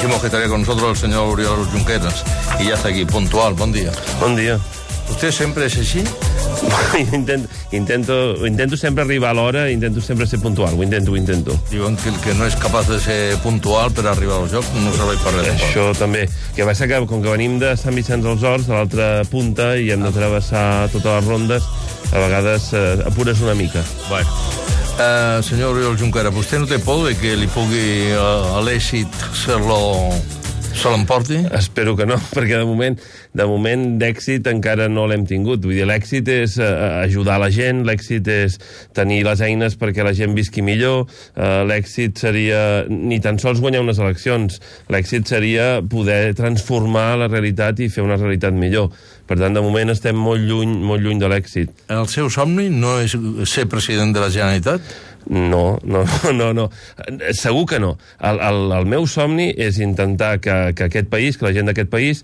decimos que estaría con nosotros el señor Oriol Junqueras y ya está aquí, puntual. Buen día. Bon dia. ¿Usted siempre es así? Intento sempre arribar a l'hora, intento sempre ser puntual, ho intento. Diuen que el que no és capaç de ser puntual per arribar al joc no serveix per res. Això també. Que passa que, com que venim de Sant Vicenç dels Horts, de l'altra punta, i hem de travessar totes les rondes, a vegades apures una mica. Bueno. Senyor Oriol Junqueras, vostè no té por de que li pugui l'èxit se l'emporti? Espero que no, perquè de moment d'èxit encara no l'hem tingut. Vull dir, l'èxit és ajudar la gent, l'èxit és tenir les eines perquè la gent visqui millor, l'èxit seria ni tan sols guanyar unes eleccions, l'èxit seria poder transformar la realitat i fer una realitat millor. Per tant, de moment estem molt lluny de l'èxit. El seu somni no és ser president de la Generalitat? No. Segur que no. El meu somni és intentar que aquest país, que la gent d'aquest país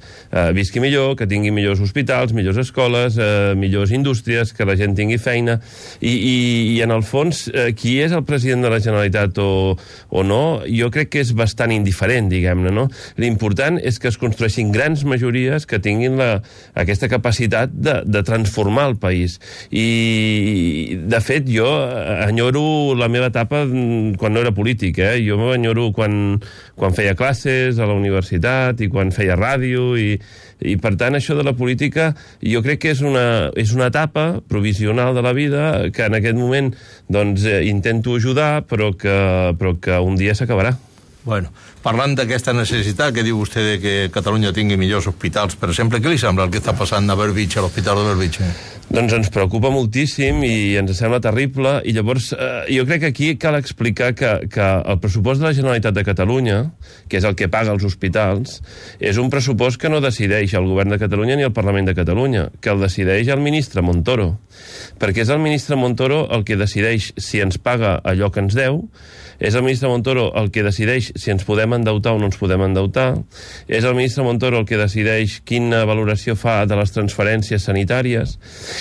visqui millor, que tingui millors hospitals, millors escoles, millors indústries, que la gent tingui feina. I en el fons, qui és el president de la Generalitat o no, jo crec que és bastant indiferent, diguem-ne, no? L'important és que es construeixin grans majories que tinguin aquesta capacitat de transformar el país. I, de fet, jo enyoro la meva etapa quan no era polític, Jo m'enyoro quan feia classes a la universitat i quan feia ràdio i per tant això de la política jo crec que és una etapa provisional de la vida que en aquest moment doncs intento ajudar però que un dia s'acabarà. Bueno, parlant d'aquesta necessitat que diu vostè de que Catalunya tingui millors hospitals, per exemple, què li sembla el que està passant a Bellvitge, a l'Hospital de Bellvitge? Doncs ens preocupa moltíssim i ens sembla terrible i llavors jo crec que aquí cal explicar que el pressupost de la Generalitat de Catalunya, que és el que paga els hospitals, és un pressupost que no decideix el govern de Catalunya ni el Parlament de Catalunya, que el decideix el ministre Montoro, perquè és el ministre Montoro el que decideix si ens paga allò que ens deu, és el ministre Montoro el que decideix si ens podem endeutar o no ens podem endeutar, és el ministre Montoro el que decideix quina valoració fa de les transferències sanitàries,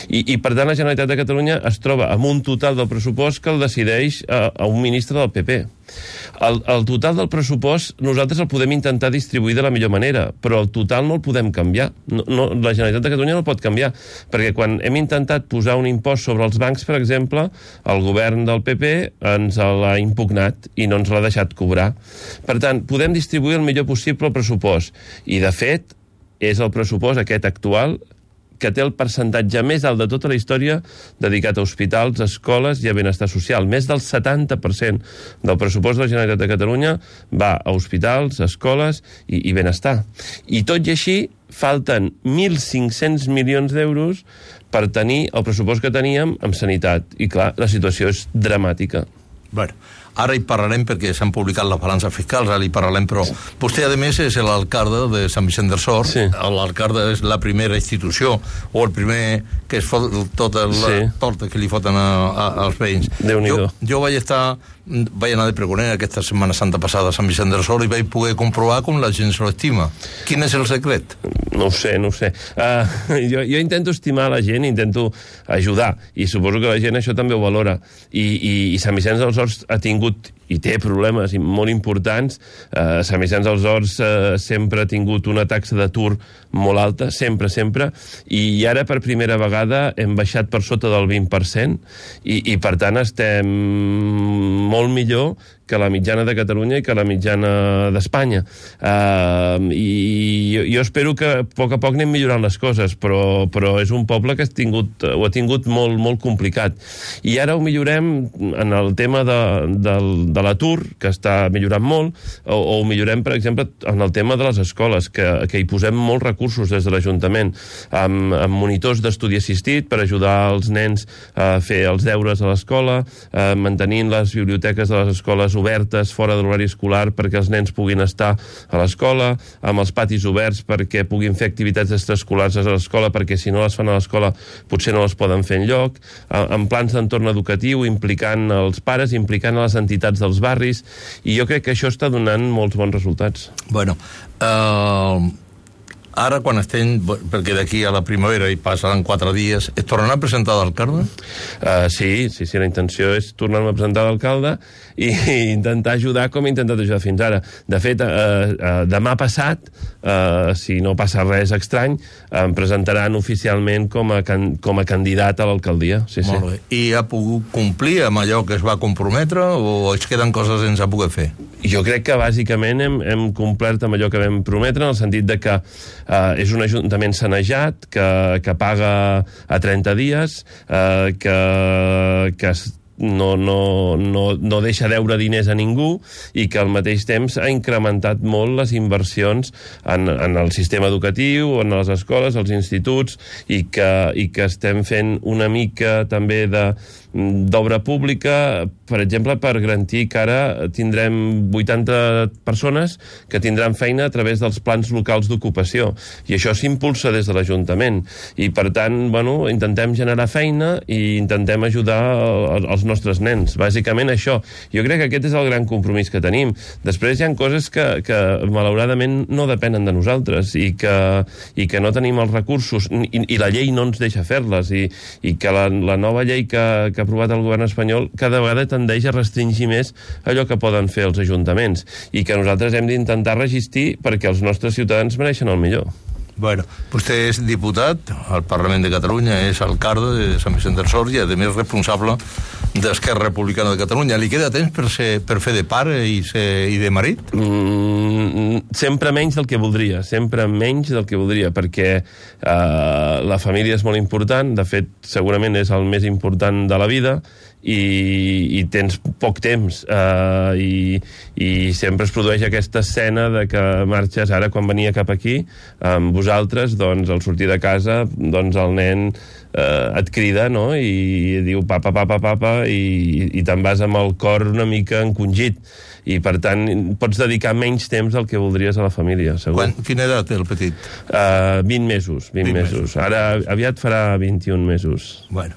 i per tant la Generalitat de Catalunya es troba amb un total del pressupost que el decideix a un ministre del PP. El total del pressupost nosaltres el podem intentar distribuir de la millor manera, però el total no el podem canviar. La Generalitat de Catalunya no el pot canviar, perquè quan hem intentat posar un impost sobre els bancs, per exemple, el govern del PP ens l'ha impugnat i no ens l'ha deixat cobrar. Per tant, podem distribuir el millor possible el pressupost, i de fet és el pressupost aquest actual que té el percentatge més alt de tota la història dedicat a hospitals, escoles i a benestar social. Més del 70% del pressupost de la Generalitat de Catalunya va a hospitals, escoles i benestar. I tot i així, falten 1.500 milions d'euros per tenir el pressupost que teníem amb sanitat. I clar, la situació és dramàtica. Bueno, ara hi parlarem perquè s'han publicat les balances fiscals, ara hi parlarem, però vostè, a més, és l'alcalde de Sant Vicenç dels Horts. Sí. L'alcalde és la primera institució o el primer que es fot tota la torta que li foten als veïns. Déu-n'hi-do. Jo vaig anar de pregoner aquesta Setmana Santa passada a Sant Vicenç dels Horts i vaig poder comprovar com la gent se l'estima. Quin és el secret? No ho sé. Jo intento estimar la gent, intento ajudar, i suposo que la gent això també ho valora. I Sant Vicenç dels Horts ha tingut i té problemes molt importants. Sant Vicenç dels Horts sempre ha tingut una taxa d'atur molt alta, sempre, i ara per primera vegada hem baixat per sota del 20% i per tant estem molt millor que la mitjana de Catalunya i que la mitjana d'Espanya. I jo espero que a poc anem millorant les coses, però és un poble que ho ha tingut molt complicat. I ara ho millorem en el tema de l'atur, que està millorant molt, o ho millorem, per exemple, en el tema de les escoles, que hi posem molts recursos des de l'Ajuntament, amb monitors d'estudi assistit per ajudar els nens a fer els deures a l'escola, mantenint les biblioteques de les escoles obertes fora de l'horari escolar perquè els nens puguin estar a l'escola, amb els patis oberts perquè puguin fer activitats extraescolars a l'escola, perquè si no les fan a l'escola potser no les poden fer enlloc, amb plans d'entorn educatiu, implicant els pares, implicant les entitats dels barris, i jo crec que això està donant molts bons resultats. Bueno, Ara, quan estem, perquè d'aquí a la primavera hi passaran 4 dies, es tornarà a presentar d'alcalde? Sí, la intenció és tornar-me a presentar d'alcalde i intentar ajudar com he intentat ajudar fins ara. De fet, demà passat, si no passa res estrany, em presentaran oficialment com a candidat a l'alcaldia. Sí. Molt bé. I ha pogut complir amb allò que es va comprometre o es queden coses sense poder fer? Jo crec que bàsicament hem complert amb allò que vam prometre, en el sentit de que és un ajuntament sanejat, que paga a 30 dies, que no deixa deure diners a ningú i que al mateix temps ha incrementat molt les inversions en el sistema educatiu, en les escoles, als instituts, i que estem fent una mica també d'obra pública, per exemple, per garantir que ara tindrem 80 persones que tindran feina a través dels plans locals d'ocupació, i això s'impulsa des de l'Ajuntament, i per tant, intentem generar feina i intentem ajudar els nostres nens, bàsicament això. Jo crec que aquest és el gran compromís que tenim. Després hi ha coses que malauradament no depenen de nosaltres i que no tenim els recursos i la llei no ens deixa fer-les, i que la nova llei que ha aprovat el govern espanyol cada vegada tendeix a restringir més allò que poden fer els ajuntaments, i que nosaltres hem d'intentar resistir perquè els nostres ciutadans mereixen el millor. Bueno, vostè és diputat al Parlament de Catalunya, és alcalde de Sant Vicent del Sor i, a més, responsable d'Esquerra Republicana de Catalunya. Li queda temps per fer de pare i de marit? Sempre menys del que voldria, perquè la família és molt important, de fet, segurament és el més important de la vida, i tens poc temps, i sempre es produeix aquesta escena de que marxes. Ara, quan venia cap aquí amb vosaltres, doncs al sortir de casa, doncs el nen et crida, no?, i diu papa, papa, papa, i te'n vas amb el cor una mica encongit, i per tant pots dedicar menys temps del que voldries a la família, segur. Quina edat té el petit? 20 mesos. Ara aviat farà 21 mesos. Bueno,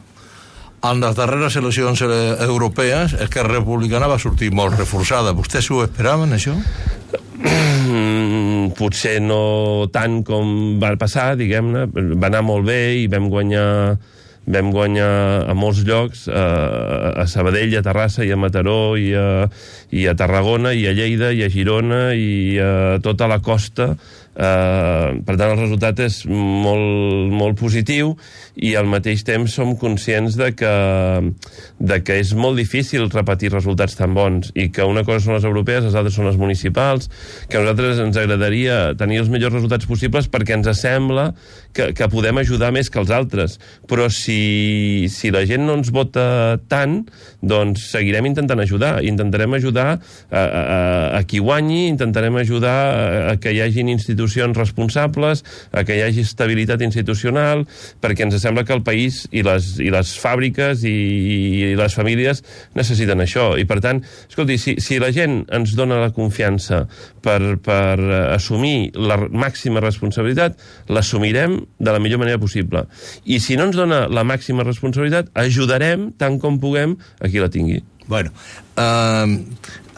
en les darreres eleccions europees, Esquerra Republicana va sortir molt reforçada. Vostès s'ho esperaven, això? Potser no tant com va passar, diguem-ne. Va anar molt bé i vam guanyar a molts llocs, a Sabadell, a Terrassa, i a Mataró, i a Tarragona, i a Lleida, i a Girona, i a tota la costa. Per tant, el resultat és molt positiu, i al mateix temps som conscients de que és molt difícil repetir resultats tan bons, i que una cosa són les europees, les altres són les municipals, que a nosaltres ens agradaria tenir els millors resultats possibles perquè ens sembla que podem ajudar més que els altres, però si la gent no ens vota tant, doncs seguirem intentant ajudar, intentarem ajudar a qui guanyi, intentarem ajudar a que hi hagin institucions responsables, a que hi hagi estabilitat institucional, perquè ens sembla que el país i les fàbriques i les famílies necessiten això. I per tant, escolti, si la gent ens dona la confiança per assumir la màxima responsabilitat, l'assumirem de la millor manera possible. I si no ens dona la màxima responsabilitat, ajudarem tant com puguem a qui la tingui. Bueno,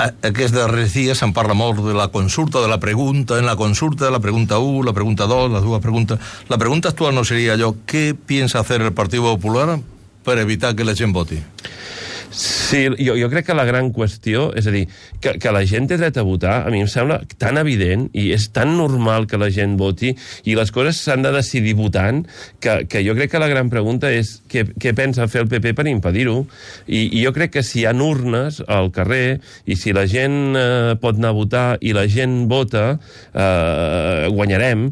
aquests darrers dies se'n parla molt de la consulta, de la pregunta, en la consulta de la pregunta 1, la pregunta 2, les dues preguntes. La pregunta actual no seria allò, què piensa hacer el Partido Popular per evitar que la gent voti? Sí, jo crec que la gran qüestió, és a dir, que la gent té dret a votar, a mi em sembla tan evident i és tan normal que la gent voti i les coses s'han de decidir votant, que jo crec que la gran pregunta és què pensa fer el PP per impedir-ho. I jo crec que si hi ha urnes al carrer i si la gent pot anar a votar i la gent vota, guanyarem,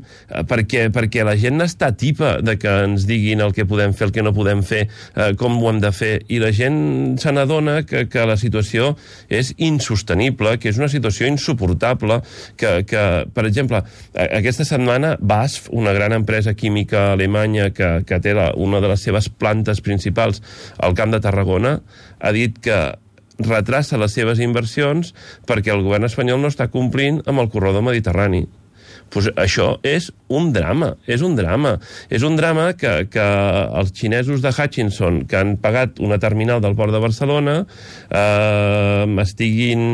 perquè la gent n'està tipa de que ens diguin el que podem fer, el que no podem fer, com ho hem de fer, i la gent se n'adona que la situació és insostenible, que és una situació insuportable, que per exemple, aquesta setmana BASF, una gran empresa química alemanya que té una de les seves plantes principals al Camp de Tarragona, ha dit que retrassa les seves inversions perquè el govern espanyol no està complint amb el corredor mediterrani. Pues això és un drama, és un drama. És un drama que els xinesos de Hutchinson, que han pagat una terminal del port de Barcelona, estiguin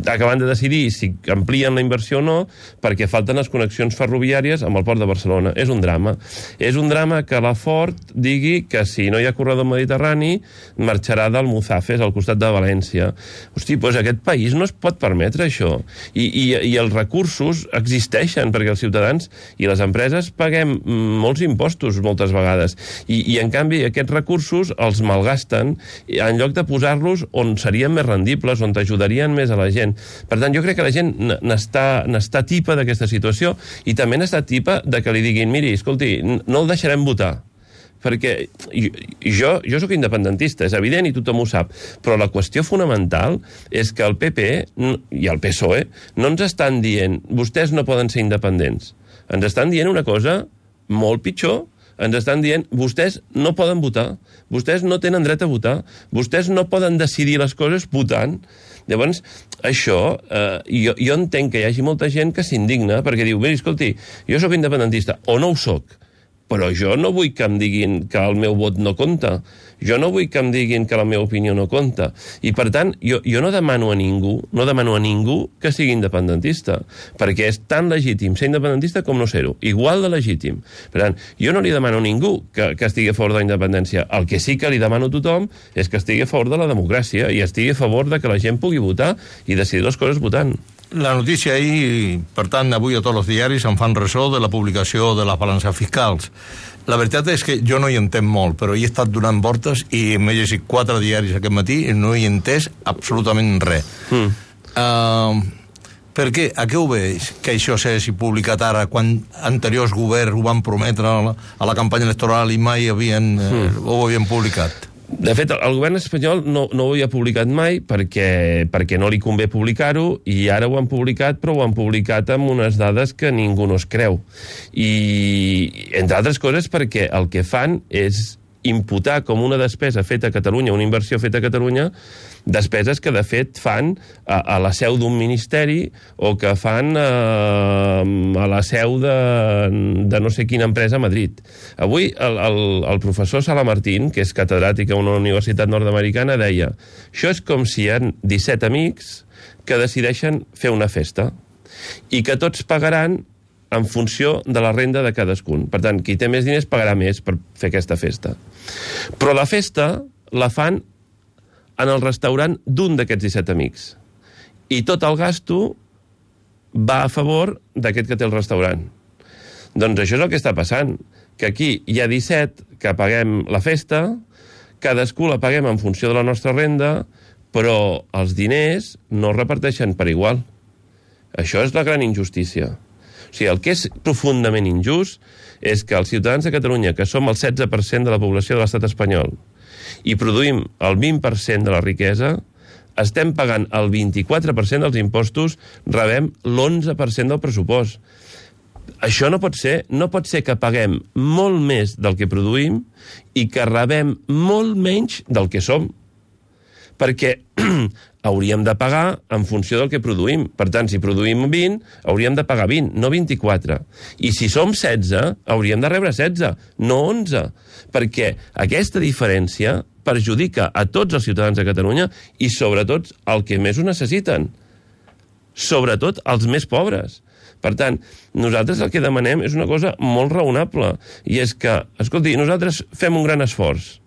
acabant de decidir si amplien la inversió o no, perquè falten les connexions ferroviàries amb el port de Barcelona. És un drama. És un drama que la Ford digui que si no hi ha corredor mediterrani marxarà del Muzafes, al costat de València. Hosti, doncs aquest país no es pot permetre això. I els recursos existeixen, perquè els ciutadans i les empreses paguem molts impostos moltes vegades. I en canvi, aquests recursos els malgasten en lloc de posar-los on serien més rendibles, on t'ajudarien més a la gent. Per tant, jo crec que la gent n'està tipa d'aquesta situació i també n'està tipa de que li diguin, miri, escolti, no el deixarem votar, perquè jo sóc independentista, és evident i tothom ho sap, però la qüestió fonamental és que el PP i el PSOE no ens estan dient vostès no poden ser independents, ens estan dient una cosa molt pitjor, ens estan dient vostès no poden votar, vostès no tenen dret a votar, vostès no poden decidir les coses votant. Llavors, això, jo entenc que hi hagi molta gent que s'indigna perquè diu, miri, escolti, jo sóc independentista o no ho sóc, però jo no vull que em diguin que el meu vot no compta. Jo no vull que em diguin que la meva opinió no compta. I, per tant, jo no demano a ningú que sigui independentista, perquè és tan legítim ser independentista com no ser-ho. Igual de legítim. Per tant, jo no li demano a ningú que estigui a favor de la independència. El que sí que li demano a tothom és que estigui a favor de la democràcia i estigui a favor de que la gent pugui votar i decidir les coses votant. La notícia ahir, per tant, avui a tots els diaris en fan ressò de la publicació de les balances fiscals. La veritat és que jo no hi entenc molt, però hi he estat donant voltes i m'he llegit 4 diaris aquest matí i no hi he entès absolutament res. Per què? A què ho veig que això s'hagi publicat ara quan anteriors governs ho van prometre a la campanya electoral i mai ho havien publicat? De fet, el govern espanyol no ho havia publicat mai perquè no li convé publicar-ho i ara ho han publicat, però ho han publicat amb unes dades que ningú no es creu. I, entre altres coses, perquè el que fan és imputar com una despesa feta a Catalunya, una inversió feta a Catalunya, despeses que de fet fan a la seu d'un ministeri o que fan a la seu de no sé quina empresa a Madrid. Avui el professor Sala Martín, que és catedràtic a una universitat nord-americana, deia: això és com si hi ha 17 amics que decideixen fer una festa i que tots pagaran en funció de la renda de cadascun. Per tant, qui té més diners pagarà més per fer aquesta festa. Però la festa la fan en el restaurant d'un d'aquests 17 amics. I tot el gasto va a favor d'aquest que té el restaurant. Doncs això és el que està passant, que aquí hi ha 17 que paguem la festa, cadascú la paguem en funció de la nostra renda, però els diners no es reparteixen per igual. Això és la gran injustícia. O sigui, el que és profundament injust és que els ciutadans de Catalunya, que som el 16% de la població de l'estat espanyol, i produïm el 20% de la riquesa, estem pagant el 24% dels impostos, rebem l'11% del pressupost. Això no pot ser. No pot ser que paguem molt més del que produïm i que rebem molt menys del que som. Perquè hauríem de pagar en funció del que produïm. Per tant, si produïm 20, hauríem de pagar 20, no 24. I si som 16, hauríem de rebre 16, no 11. Perquè aquesta diferència perjudica a tots els ciutadans de Catalunya i sobretot el que més ho necessiten. Sobretot els més pobres. Per tant, nosaltres el que demanem és una cosa molt raonable, i és que, escolti, nosaltres fem un gran esforç.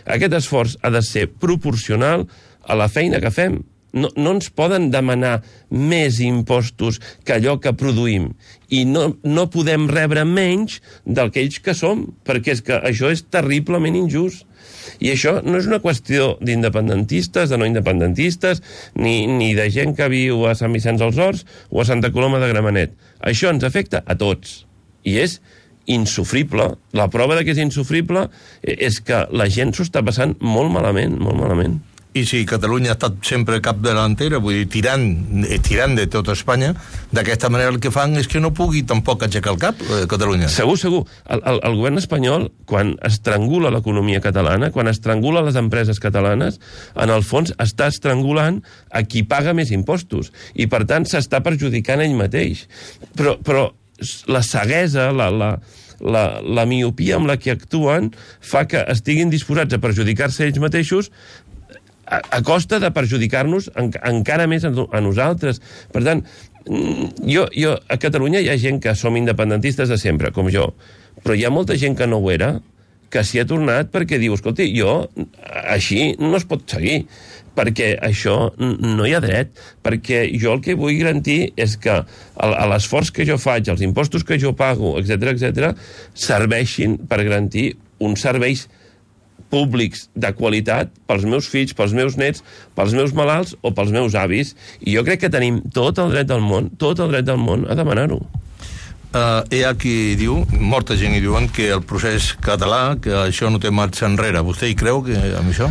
Aquest esforç ha de ser proporcional a la feina que fem. No ens poden demanar més impostos que allò que produïm. I no podem rebre menys d'aquells que som, perquè és que això és terriblement injust. I això no és una qüestió d'independentistes, de no independentistes, ni de gent que viu a Sant Vicenç dels Horts o a Santa Coloma de Gramenet. Això ens afecta a tots. I és insufrible. La prova de que és insufrible és que la gent s'ho està passant molt malament, molt malament. I si Catalunya ha estat sempre capdelantera, vull dir, tirant de tota Espanya, d'aquesta manera el que fan és que no pugui tampoc aixecar el cap, Catalunya. Segur. El govern espanyol, quan estrangula l'economia catalana, quan estrangula les empreses catalanes, en el fons està estrangulant a qui paga més impostos. I, per tant, s'està perjudicant ell mateix. Però la ceguesa, la miopia amb la que actuen fa que estiguin disposats a perjudicar-se ells mateixos a costa de perjudicar-nos encara més a nosaltres. Per tant, a Catalunya hi ha gent que som independentistes de sempre, com jo, però hi ha molta gent que no ho era, que s'hi ha tornat perquè diu, escolti, així no es pot seguir, perquè això no hi ha dret, perquè jo el que vull garantir és que l'esforç que jo faig, els impostos que jo pago, etc., serveixin per garantir uns serveis públics de qualitat pels meus fills, pels meus nets, pels meus malalts o pels meus avis. I jo crec que tenim tot el dret del món a demanar-ho. Hi ha qui diu, molta gent hi diuen que el procés català, que això no té marxa enrere. Vostè hi creu amb això?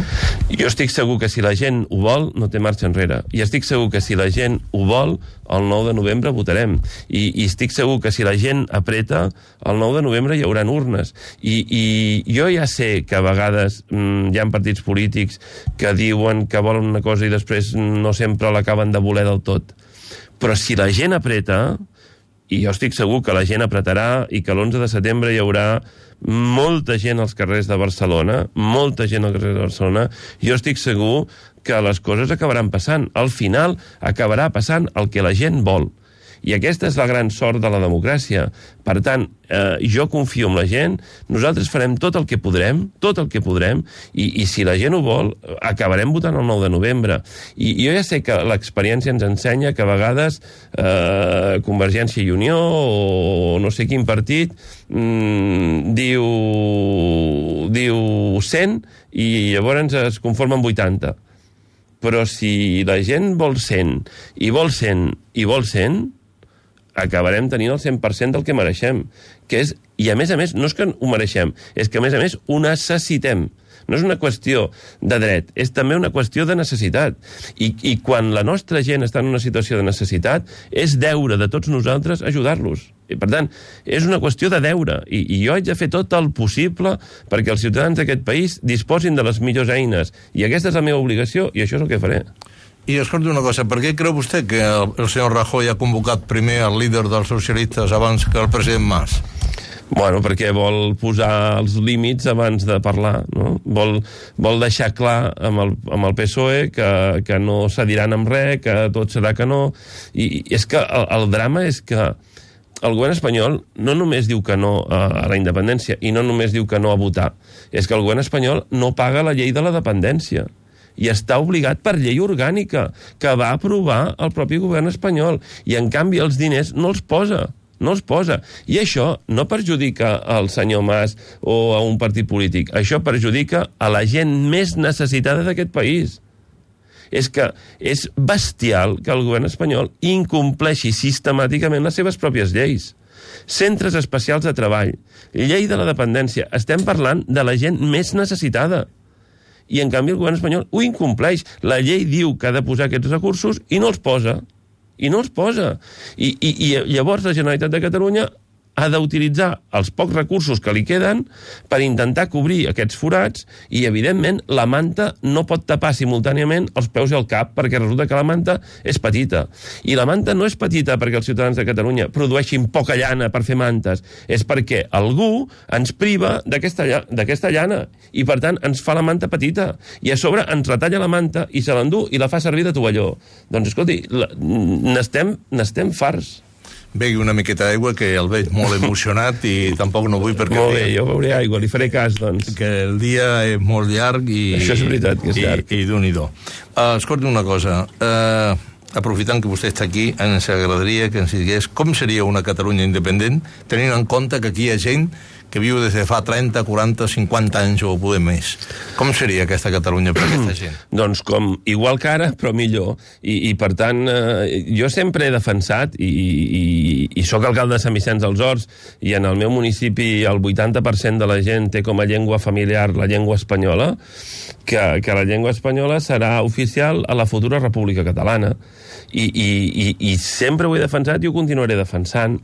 Jo estic segur que si la gent ho vol, no té marxa enrere. I estic segur que si la gent ho vol, el 9 de novembre votarem. I estic segur que si la gent apreta, el 9 de novembre hi haurà urnes. I jo ja sé que a vegades hi ha partits polítics que diuen que volen una cosa i després no sempre l'acaben de voler del tot. Però si la gent apreta, i jo estic segur que la gent apretarà i que l'11 de setembre hi haurà molta gent als carrers de Barcelona, jo estic segur que les coses acabaran passant. Al final acabarà passant el que la gent vol. I aquesta és la gran sort de la democràcia. Per tant, jo confio en la gent, nosaltres farem tot el que podrem, i si la gent ho vol, acabarem votant el 9 de novembre. I jo ja sé que l'experiència ens ensenya que a vegades Convergència i Unió o no sé quin partit diu 100 i llavors es conforma amb 80. Però si la gent vol 100 i vol 100, acabarem tenint el 100% del que mereixem. I a més, no és que ho mereixem, és que a més ho necessitem. No és una qüestió de dret, és també una qüestió de necessitat. I quan la nostra gent està en una situació de necessitat, és deure de tots nosaltres ajudar-los. I, per tant, és una qüestió de deure. I jo haig de fer tot el possible perquè els ciutadans d'aquest país disposin de les millors eines. I aquesta és la meva obligació i això és el que faré. I escolti una cosa, per què creu vostè que el senyor Rajoy ha convocat primer el líder dels socialistes abans que el president Mas? Bueno, perquè vol posar els límits abans de parlar, no? Vol deixar clar amb el PSOE que no cediran amb res, que tot serà que no. I és que el drama és que el govern espanyol no només diu que no a la independència i no només diu que no a votar, és que el govern espanyol no paga la llei de la dependència. I està obligat per llei orgànica, que va aprovar el propi govern espanyol. I, en canvi, els diners no els posa. I això no perjudica al senyor Mas o a un partit polític. Això perjudica a la gent més necessitada d'aquest país. És que és bestial que el govern espanyol incompleixi sistemàticament les seves pròpies lleis. Centres especials de treball, llei de la dependència. Estem parlant de la gent més necessitada. I, en canvi, el govern espanyol ho incompleix. La llei diu que ha de posar aquests recursos i no els posa. I llavors la Generalitat de Catalunya ha d'utilitzar els pocs recursos que li queden per intentar cobrir aquests forats i, evidentment, la manta no pot tapar simultàniament els peus i el cap perquè resulta que la manta és petita. I la manta no és petita perquè els ciutadans de Catalunya produeixin poca llana per fer mantes, és perquè algú ens priva d'aquesta llana i, per tant, ens fa la manta petita. I a sobre ens retalla la manta i se l'endú i la fa servir de tovalló. Doncs, escolti, n'estem farts. Begui una miqueta d'aigua, que el veig molt emocionat i tampoc no vull perquè... Molt bé, jo beuré aigua, li faré cas, doncs. Que el dia és molt llarg i... Això és veritat, que és llarg. I d'un-i-do. Escolti una cosa, aprofitant que vostè està aquí, ens agradaria que ens digués com seria una Catalunya independent, tenint en compte que aquí hi ha gent que viu des de fa 30, 40, 50 anys o poder més. Com seria aquesta Catalunya per aquesta gent? Doncs com igual que ara, però millor. I per tant, jo sempre he defensat, i sóc alcalde de Sant Vicenç dels Horts, i en el meu municipi el 80% de la gent té com a llengua familiar la llengua espanyola, que la llengua espanyola serà oficial a la futura República Catalana. I sempre ho he defensat i ho continuaré defensant.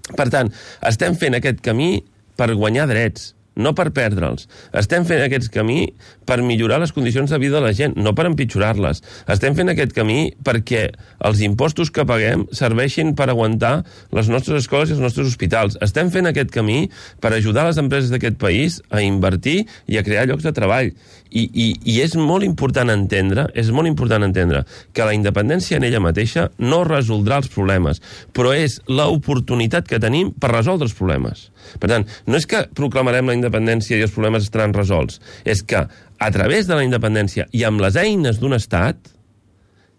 Per tant, estem fent aquest camí per guanyar drets, no per perdre'ls. Estem fent aquest camí per millorar les condicions de vida de la gent, no per empitjorar-les. Estem fent aquest camí perquè els impostos que paguem serveixin per aguantar les nostres escoles i els nostres hospitals. Estem fent aquest camí per ajudar les empreses d'aquest país a invertir i a crear llocs de treball. I és molt important entendre, que la independència en ella mateixa no resoldrà els problemes, però és l'oportunitat que tenim per resoldre els problemes. Per tant, no és que proclamarem la independència i els problemes estaran resolts, és que a través de la independència i amb les eines d'un estat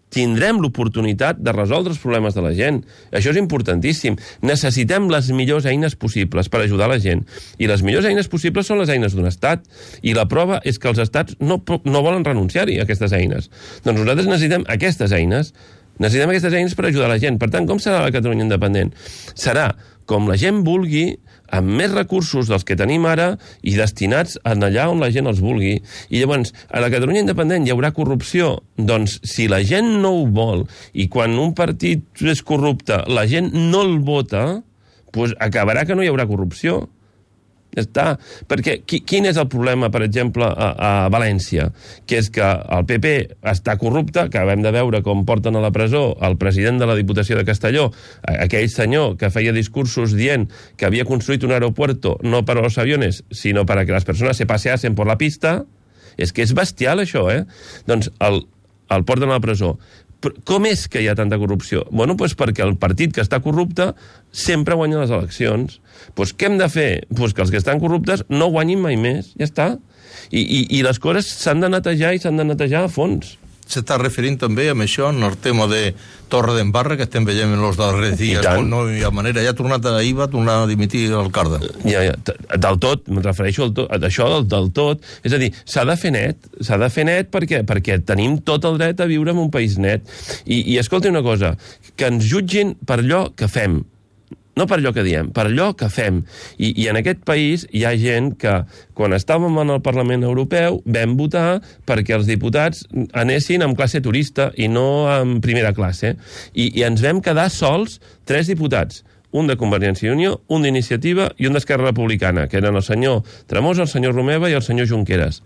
tindrem l'oportunitat de resoldre els problemes de la gent. Això és importantíssim. Necessitem les millors eines possibles per ajudar la gent. I les millors eines possibles són les eines d'un estat. I la prova és que els estats no volen renunciar-hi a aquestes eines. Doncs nosaltres necessitem aquestes eines. Necessitem aquestes eines per ajudar la gent. Per tant, com serà la Catalunya independent? Serà com la gent vulgui, amb més recursos dels que tenim ara i destinats allà on la gent els vulgui. I llavors, a la Catalunya independent hi haurà corrupció? Doncs si la gent no ho vol i quan un partit és corrupte la gent no el vota, doncs acabarà que no hi haurà corrupció. Ja està. Perquè quin és el problema, per exemple, a València? Que és que el PP està corrupte, que acabem de veure com porten a la presó el president de la Diputació de Castelló, aquell senyor que feia discursos dient que havia construït un aeropuerto no per a los aviones, sinó para que las personas se paseasen por la pista. És que és bestial, això, Doncs el porten a la presó. Com és que hi ha tanta corrupció? Bueno, doncs perquè el partit que està corrupte sempre guanya les eleccions. Doncs què hem de fer? Doncs que els que estan corruptes no guanyin mai més. Ja està. I les coses s'han de netejar i s'han de netejar a fons. S'està referint també amb això en el tema de Torre d'Embarra, que estem veient en els darrers dies, no hi ha manera. Ja ha tornat a IVA, ha tornat a dimitir l'alcalde. Ja, del tot, em refereixo a això del tot. És a dir, s'ha de fer net perquè tenim tot el dret a viure en un país net. I escolti una cosa, que ens jutgin per allò que fem. No per allò que diem, per allò que fem. I en aquest país hi ha gent que, quan estàvem en el Parlament Europeu, vam votar perquè els diputats anessin en classe turista i no en primera classe. I ens vam quedar sols 3 diputats. Un de Convergència i Unió, un d'Iniciativa i un d'Esquerra Republicana, que eren el senyor Tremosa, el senyor Romeva i el senyor Junqueras.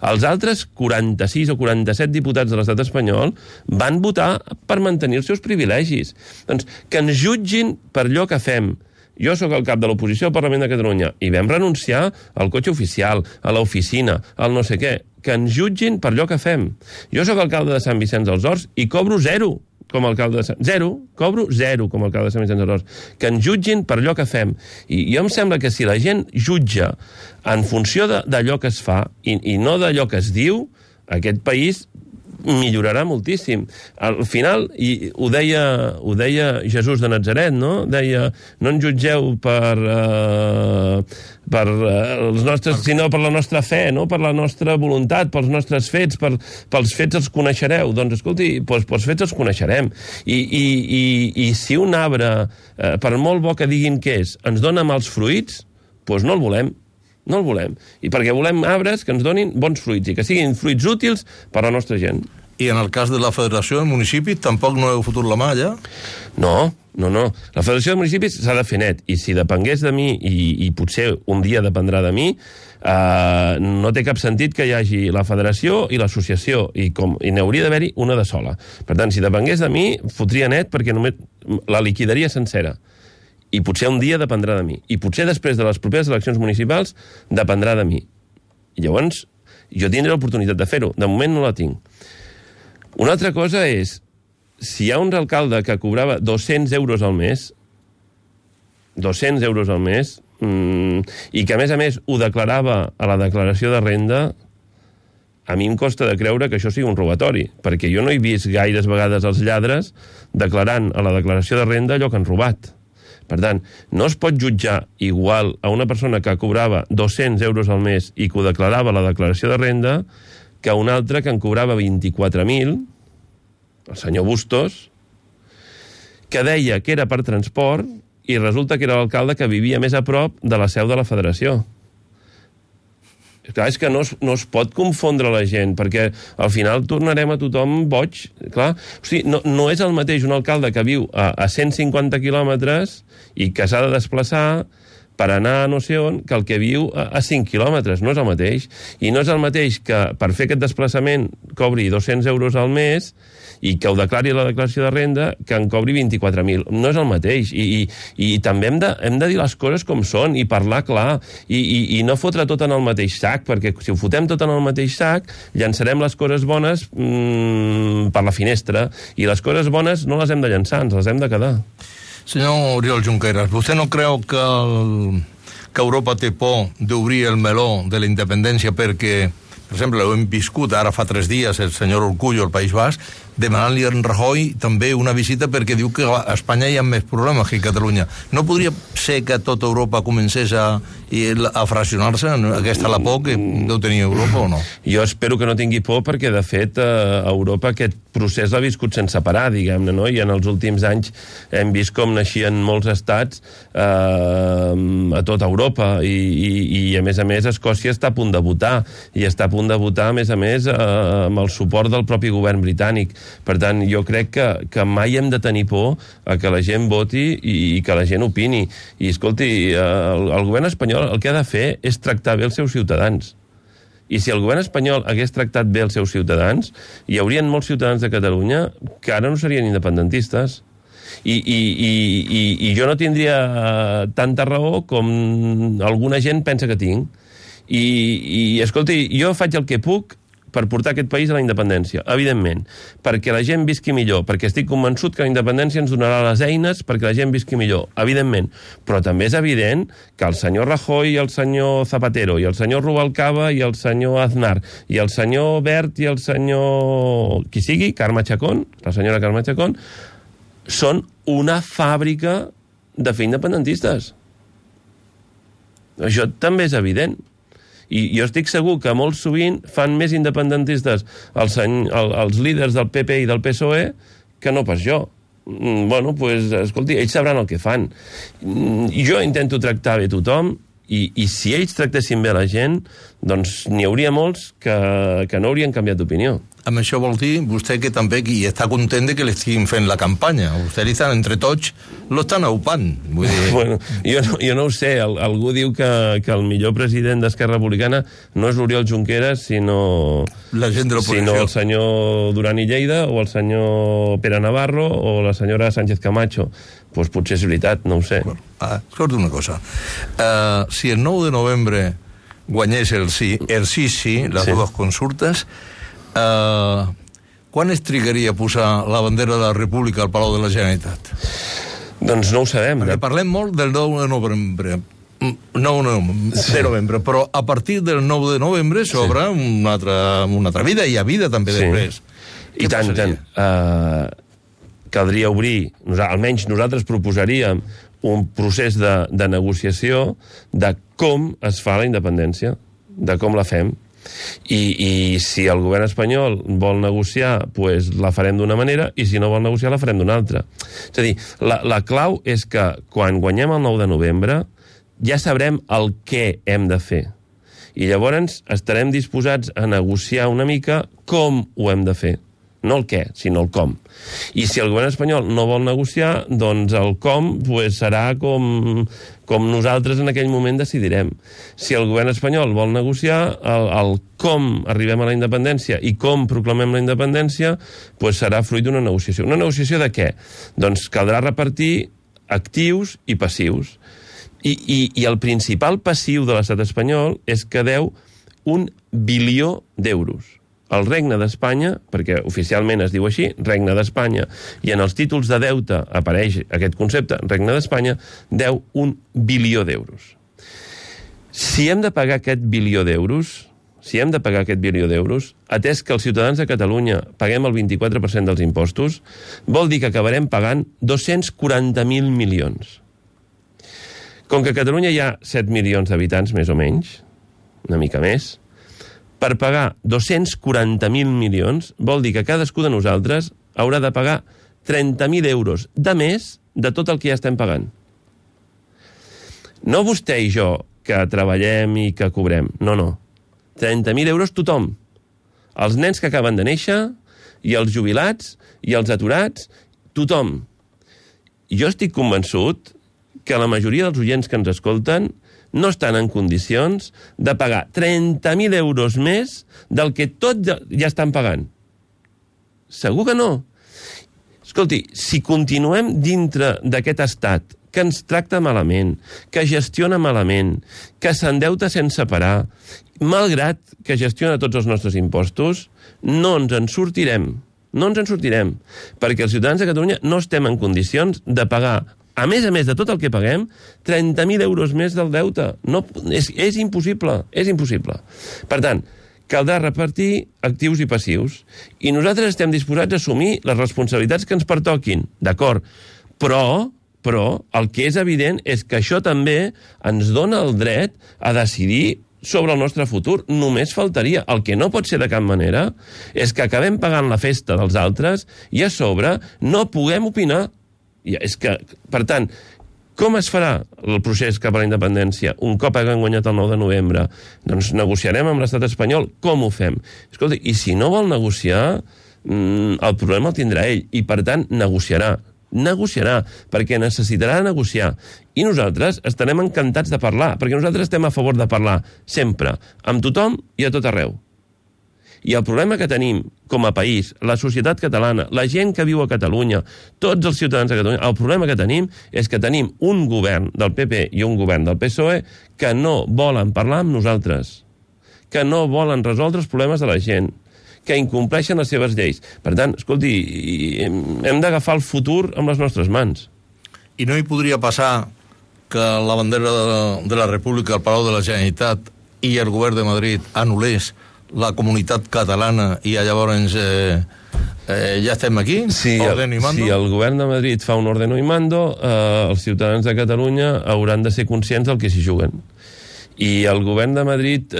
Els altres 46 o 47 diputats de l'estat espanyol van votar per mantenir els seus privilegis. Doncs que ens jutgin per allò que fem. Jo sóc el cap de l'oposició al Parlament de Catalunya i vam renunciar al cotxe oficial, a l'oficina, al no sé què. Que ens jutgin per allò que fem. Jo sóc alcalde de Sant Vicenç dels Horts i cobro 0 com a alcalde de Sant... Cobro 0 com a alcalde de Sant Vicenç dels Horts. Que ens jutgin per allò que fem. I jo em sembla que si la gent jutja en funció d'allò que es fa i no d'allò que es diu, aquest país millorarà moltíssim. Al final, i ho deia Jesús de Natzaret, no? Deia, no ens jutgeu per els nostres, sinó per la nostra fe, no? Per la nostra voluntat, pels nostres fets, pels fets els coneixereu. Doncs, escolti, pels fets els coneixerem. I si un arbre, per molt bo que diguin que és, ens dona mals fruits, doncs no el volem. No el volem. I perquè volem arbres que ens donin bons fruits i que siguin fruits útils per a la nostra gent. I en el cas de la Federació del Municipi tampoc no heu fotut la mà, ja? No. La Federació de Municipis s'ha de fer net. I si depengués de mi, i potser un dia dependrà de mi, no té cap sentit que hi hagi la Federació i l'associació. I n'hauria d'haver-hi una de sola. Per tant, si depengués de mi, fotria net perquè només la liquidaria sencera. I potser un dia dependrà de mi. I potser després de les properes eleccions municipals dependrà de mi. I llavors jo tindré l'oportunitat de fer-ho. De moment no la tinc. Una altra cosa és, si hi ha un alcalde que cobrava 200 euros al mes, i que a més ho declarava a la declaració de renda, a mi em costa de creure que això sigui un robatori, perquè jo no he vist gaires vegades els lladres declarant a la declaració de renda allò que han robat. Per tant, no es pot jutjar igual a una persona que cobrava 200 euros al mes i que ho declarava a la declaració de renda que a una altra que en cobrava 24.000, el senyor Bustos, que deia que era per transport i resulta que era l'alcalde que vivia més a prop de la seu de la federació. Clar, és que no es pot confondre la gent, perquè al final tornarem a tothom boig. Clar, o sigui, no és el mateix un alcalde que viu a 150 quilòmetres i que s'ha de desplaçar per anar a no sé on, que el que viu a 5 quilòmetres. No és el mateix. I no és el mateix que per fer aquest desplaçament cobri 200 euros al mes i que ho declari a la declaració de renda que en cobri 24.000. No és el mateix. I també hem de dir les coses com són i parlar clar i no fotre tot en el mateix sac, perquè si ho fotem tot en el mateix sac, llançarem les coses bones per la finestra i les coses bones no les hem de llançar, ens les hem de quedar. Senyor Oriol Junqueras, vostè no creu que Europa té por d'obrir el meló de la independència perquè, per exemple, ho hem viscut ara fa 3 dies el senyor Urkullu al País Basc demanant-li a en Rajoy també una visita perquè diu que a Espanya hi ha més problemes que a Catalunya. No podria ser que tota Europa comencés a fraccionar-se? Aquesta la por que deu tenir Europa o no? Jo espero que no tingui por perquè, de fet, Europa aquest procés l'ha viscut sense parar, diguem-ne, no? I en els últims anys hem vist com naixien molts estats a tota Europa i a més, Escòcia està a punt de votar i està a punt de votar, a més, amb el suport del propi govern britànic. Per tant, jo crec que mai hem de tenir por a que la gent voti i que la gent opini. I, escolti, el govern espanyol el que ha de fer és tractar bé els seus ciutadans. I si el govern espanyol hagués tractat bé els seus ciutadans, hi haurien molts ciutadans de Catalunya que ara no serien independentistes. I jo no tindria tanta raó com alguna gent pensa que tinc. I escolti, jo faig el que puc per portar aquest país a la independència, evidentment, perquè la gent visqui millor, perquè estic convençut que la independència ens donarà les eines perquè la gent visqui millor, evidentment, però també és evident que el senyor Rajoy i el senyor Zapatero i el senyor Rubalcaba i el senyor Aznar i el senyor Bert i el senyor qui sigui, Carme Chacón, la senyora Carme Chacón, són una fàbrica de fer independentistes. Això també és evident. I jo estic segur que molt sovint fan més independentistes els líders del PP i del PSOE que no pas jo. Bueno, doncs, escolti, ells sabran el que fan. Jo intento tractar bé tothom i si ells tractessin bé la gent, doncs n'hi hauria molts que no haurien canviat d'opinió. Amb això vol dir vostè que també qui està content de que li estiguin fent la campanya. Vostè li estan, entre tots, l'estan aupant. Vull dir... Bueno, jo no ho sé. Algú diu que el millor president d'Esquerra Republicana no és l'Oriol Junqueras, sinó el senyor Duran i Lleida, o el senyor Pere Navarro, o la senyora Sánchez Camacho. Doncs potser és veritat, no ho sé. Bueno, escolta una cosa. Si el 9 de novembre guanyés el sí, les dues consultes, quan es trigaria a posar la bandera de la República al Palau de la Generalitat? Doncs no ho sabem. Perquè parlem molt del 9 de novembre. De novembre, però a partir del 9 de novembre s'obre una altra vida, i hi ha vida també després. I tant. Caldria obrir, almenys nosaltres proposaríem un procés de negociació de com es fa la independència, de com la fem. I si el govern espanyol vol negociar, doncs la farem d'una manera, i si no vol negociar la farem d'una altra. És a dir, la clau és que quan guanyem el 9 de novembre ja sabrem el què hem de fer. I llavors estarem disposats a negociar una mica com ho hem de fer. No el què, sinó el com. I si el govern espanyol no vol negociar, doncs el com serà com nosaltres en aquell moment decidirem. Si el govern espanyol vol negociar, el com arribem a la independència i com proclamem la independència, serà fruit d'una negociació. Una negociació de què? Doncs caldrà repartir actius i passius. I el principal passiu de l'estat espanyol és que deu 1 bilió d'euros. El Regne d'Espanya, perquè oficialment es diu així, Regne d'Espanya, i en els títols de deute apareix aquest concepte, Regne d'Espanya, deu 1 bilió d'euros. Si hem de pagar aquest bilió d'euros, atès que els ciutadans de Catalunya paguem el 24% dels impostos, vol dir que acabarem pagant 240.000 milions. Com que a Catalunya hi ha 7 milions d'habitants, més o menys, una mica més, per pagar 240.000 milions vol dir que cadascú de nosaltres haurà de pagar 30.000 euros de més de tot el que ja estem pagant. No vostè i jo, que treballem i que cobrem. No. 30.000 euros tothom. Els nens que acaben de néixer, i els jubilats, i els aturats, tothom. Jo estic convençut que la majoria dels oients que ens escolten no estan en condicions de pagar 30.000 euros més del que tots ja estan pagant. Segur que no. Escolti, si continuem dintre d'aquest estat que ens tracta malament, que gestiona malament, que s'endeuta sense parar, malgrat que gestiona tots els nostres impostos, no ens en sortirem. No ens en sortirem, perquè els ciutadans de Catalunya no estem en condicions de pagar, a més de tot el que paguem, 30.000 euros més del deute. No, és impossible, és impossible. Per tant, caldrà repartir actius i passius, i nosaltres estem disposats a assumir les responsabilitats que ens pertoquin, d'acord? Però el que és evident és que això també ens dona el dret a decidir sobre el nostre futur. Només faltaria. El que no pot ser de cap manera és que acabem pagant la festa dels altres i a sobre no puguem opinar. És que, per tant, com es farà el procés cap a la independència un cop haguem guanyat el 9 de novembre? Doncs negociarem amb l'estat espanyol. Com ho fem? Escolta, i si no vol negociar, el problema el tindrà ell, i per tant negociarà, perquè necessitarà negociar. I nosaltres estarem encantats de parlar, perquè nosaltres estem a favor de parlar sempre, amb tothom i a tot arreu. I el problema que tenim com a país, la societat catalana, la gent que viu a Catalunya, tots els ciutadans de Catalunya, el problema que tenim és que tenim un govern del PP i un govern del PSOE que no volen parlar amb nosaltres, que no volen resoldre els problemes de la gent, que incompleixen les seves lleis. Per tant, escolti, hem d'agafar el futur amb les nostres mans. I no hi podria passar que la bandera de la República al Palau de la Generalitat i el govern de Madrid anul·lés la comunitat catalana i llavors ja estem aquí? Ordeno i mando? Si el govern de Madrid fa un ordeno i mando, els ciutadans de Catalunya hauran de ser conscients del que s'hi juguen. I el govern de Madrid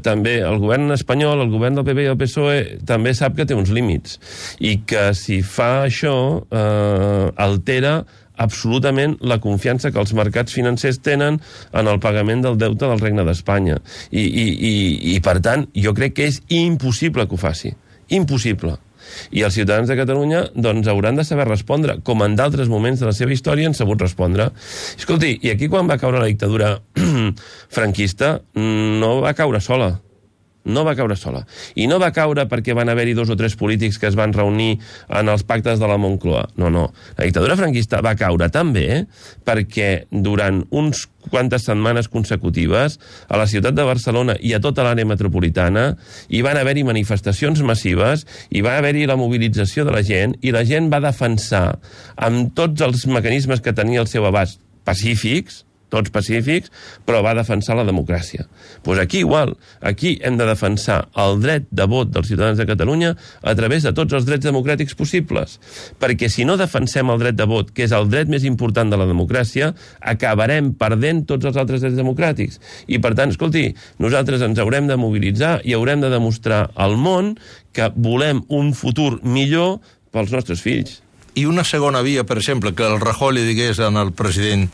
també, el govern espanyol, el govern del PP i el PSOE també sap que té uns límits i que si fa això altera absolutament la confiança que els mercats financers tenen en el pagament del deute del Regne d'Espanya. I per tant, jo crec que és impossible que ho faci. Impossible. I els ciutadans de Catalunya doncs hauran de saber respondre, com en d'altres moments de la seva història han sabut respondre. Escolti, i aquí quan va caure la dictadura franquista no va caure sola. No va caure sola. I no va caure perquè van haver-hi 2 o 3 polítics que es van reunir en els pactes de la Moncloa. No. La dictadura franquista va caure també perquè durant uns quantes setmanes consecutives a la ciutat de Barcelona i a tota l'àrea metropolitana hi van haver-hi manifestacions massives, hi va haver-hi la mobilització de la gent i la gent va defensar amb tots els mecanismes que tenia al seu abast pacífics, tots pacífics, però va defensar la democràcia. Doncs aquí igual, aquí hem de defensar el dret de vot dels ciutadans de Catalunya a través de tots els drets democràtics possibles, perquè si no defensem el dret de vot, que és el dret més important de la democràcia, acabarem perdent tots els altres drets democràtics. I per tant, escolti, nosaltres ens haurem de mobilitzar i haurem de demostrar al món que volem un futur millor pels nostres fills. I una segona via, per exemple, que el Rajoy li digués al president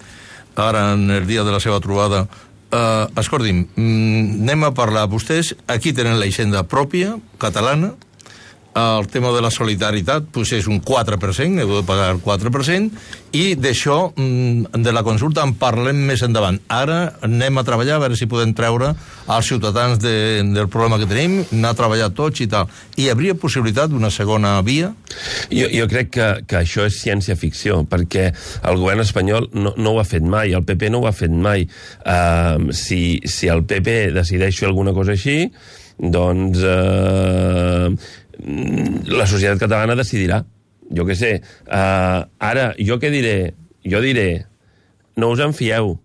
ara en el dia de la seva trobada, escolti'm, anem a parlar, vostès aquí tenen la hisenda pròpia, catalana, el tema de la solidaritat pues és un 4%, heu de pagar el 4%, i d'això, de la consulta, en parlem més endavant. Ara anem a treballar, a veure si podem treure els ciutadans del problema que tenim, anar a treballar tots i tal. Hi hauria possibilitat d'una segona via? Jo crec que això és ciència-ficció, perquè el govern espanyol no ho ha fet mai, el PP no ho ha fet mai. Si el PP decideix fer alguna cosa així, doncs la societat catalana decidirà. Jo què sé. Ara, jo què diré? Jo diré, no us en fieu,